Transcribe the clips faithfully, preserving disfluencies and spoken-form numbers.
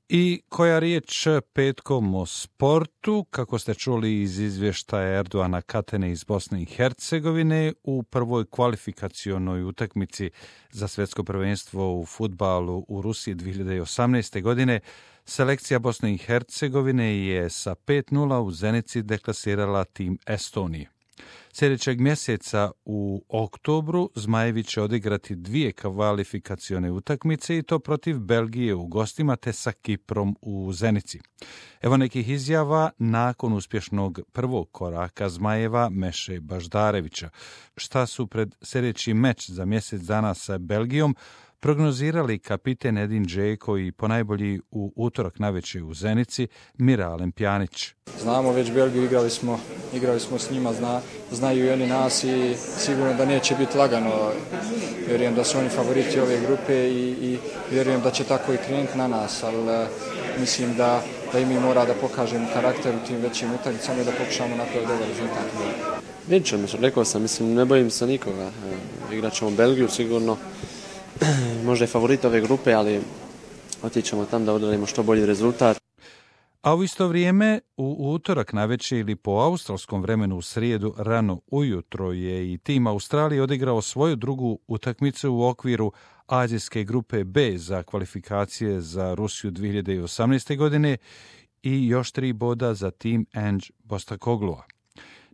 I koja riječ petkom o sportu, kako ste čuli iz izvještaja Erdoana Katene iz Bosne i Hercegovine, u prvoj kvalifikacionoj utakmici za svjetsko prvenstvo u fudbalu u Rusiji dvije hiljade osamnaeste. godine, selekcija Bosne i Hercegovine je sa pet nula u Zenici deklasirala tim Estonije. Sljedećeg mjeseca u oktobru Zmajevi će odigrati dvije kvalifikacione utakmice i to protiv Belgije u gostima te sa Kiprom u Zenici. Evo nekih izjava nakon uspješnog prvog koraka Zmajeva Meše Baždarevića. Šta su pred sljedeći meč za mjesec dana sa Belgijom prognozirali kapiten Edin Džeko i ponajbolji u utorak navečer u Zenici Mira Lempjanić. Znamo već Belgiju, igrali smo, igrali smo s njima, zna, znaju i oni nas i sigurno da neće biti lagano. Vjerujem da su oni favoriti ove grupe i, i vjerujem da će tako i krenuti na nas, ali uh, mislim da, da i mi mora da pokažemo karakter u tim većim utakmicama i da pokušamo napraviti dobar rezultat. Vidjet ćemo, rekao sam, mislim, ne bojim se nikoga. Igrat ćemo Belgiju sigurno. Možda je favorit ove grupe, ali otićemo tam da odradimo što bolji rezultat. A u isto vrijeme, u utorak navečer ili po australskom vremenu u srijedu rano ujutro je i tim Australije odigrao svoju drugu utakmicu u okviru azijske grupe B za kvalifikacije za Rusiju dvije hiljade osamnaeste. godine i još tri boda za tim Ange Postecoglua.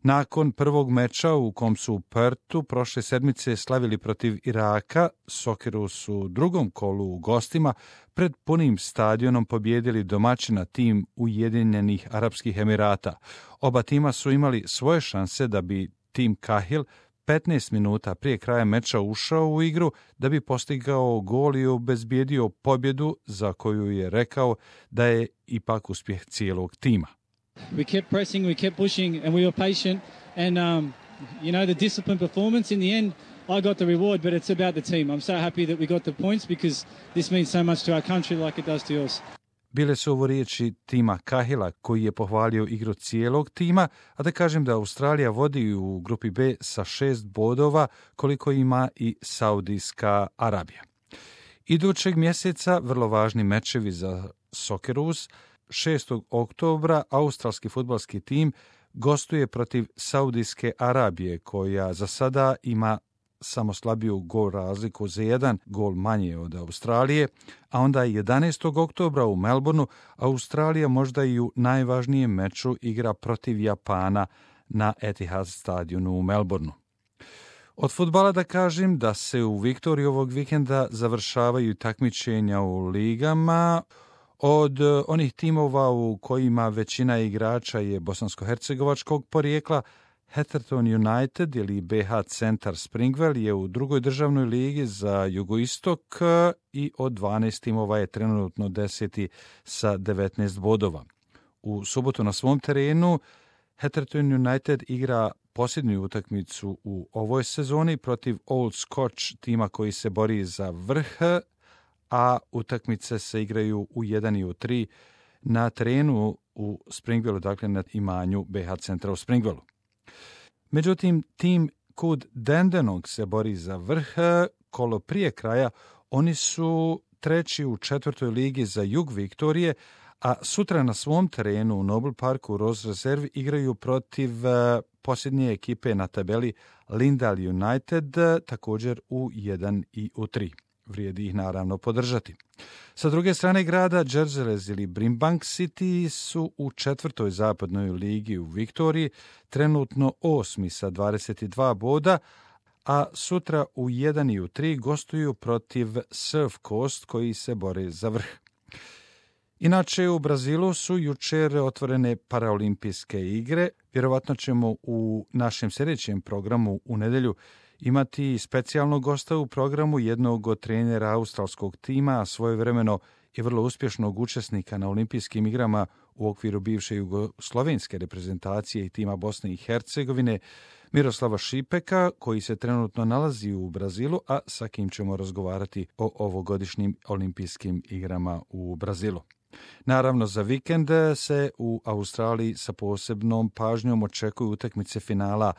Nakon prvog meča u kom su u Pertu prošle sedmice slavili protiv Iraka, Sokeru su u drugom kolu u gostima pred punim stadionom pobijedili domaćina tim Ujedinjenih Arapskih Emirata. Oba tima su imali svoje šanse da bi tim Kahil petnaest minuta prije kraja meča ušao u igru da bi postigao gol i obezbijedio pobjedu za koju je rekao da je ipak uspjeh cijelog tima. We kept pressing, we kept pushing, and we were patient. And, um, you know, the disciplined performance, in the end, I got the reward, but it's about the team. I'm so happy that we got the points because this means so much to our country like it does to yours. Bile su ovo riječi tima Kahila koji je pohvalio igru cijelog tima, a da kažem da Australija vodi u grupi B sa šest bodova koliko ima i Saudijska Arabija. Idućeg mjeseca vrlo važni mečevi za Socceroos. šestog oktobra australski fudbalski tim gostuje protiv Saudijske Arabije, koja za sada ima samo slabiju gol razliku za jedan gol manje od Australije, a onda jedanaestog oktobra u Melbourneu Australija možda i u najvažnijem meču igra protiv Japana na Etihad stadionu u Melbourneu. Od fudbala da kažem da se u Viktoriji ovog vikenda završavaju takmičenja u ligama. Od onih timova u kojima većina igrača je bosansko-hercegovačkog porijekla, Heatherton United ili B H Centar Springwell je u drugoj državnoj ligi za jugoistok i od dvanaest timova je trenutno deseti sa devetnaest bodova. U subotu na svom terenu Heatherton United igra posljednju utakmicu u ovoj sezoni protiv Old Scotch, tima koji se bori za vrh, a utakmice se igraju u jedan i u tri na terenu u Springwellu, dakle na imanju B H Centra u Springwellu. Međutim, tim kud Dandenong se bori za vrh, kolo prije kraja, oni su treći u četvrtoj ligi za jug Viktorije, a sutra na svom terenu u Noble Parku u Rose Reserve igraju protiv posljednje ekipe na tabeli Lindale United, također u jedan i u tri. Vrijedi ih naravno podržati. Sa druge strane grada, Džerzelez ili Brimbank City su u četvrtoj zapadnoj ligi u Viktoriji, trenutno osmi sa dvadeset dva boda, a sutra u jedan i u tri gostuju protiv Surf Coast koji se bore za vrh. Inače, u Brazilu su jučer otvorene paraolimpijske igre. Vjerovatno ćemo u našem sljedećem programu u nedjelju imati specijalnog gosta u programu, jednog od trenera australskog tima, a svojevremeno i vrlo uspješnog učesnika na olimpijskim igrama u okviru bivše jugoslovenske reprezentacije i tima Bosne i Hercegovine, Miroslava Šipeka, koji se trenutno nalazi u Brazilu, a sa kim ćemo razgovarati o ovogodišnjim olimpijskim igrama u Brazilu. Naravno, za vikend se u Australiji sa posebnom pažnjom očekuju utakmice finala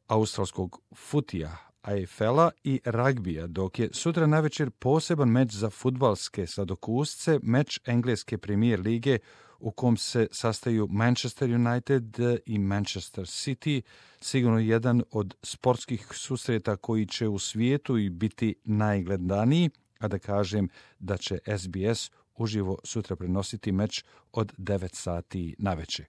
australskog futija, A F L-a i ragbija, dok je sutra navečer poseban meč za fudbalske sladokusce, meč engleske premijer lige u kom se sastaju Manchester United i Manchester City, sigurno jedan od sportskih susreta koji će u svijetu i biti najgledaniji, a da kažem da će S B S uživo sutra prenositi meč od devet sati navečer.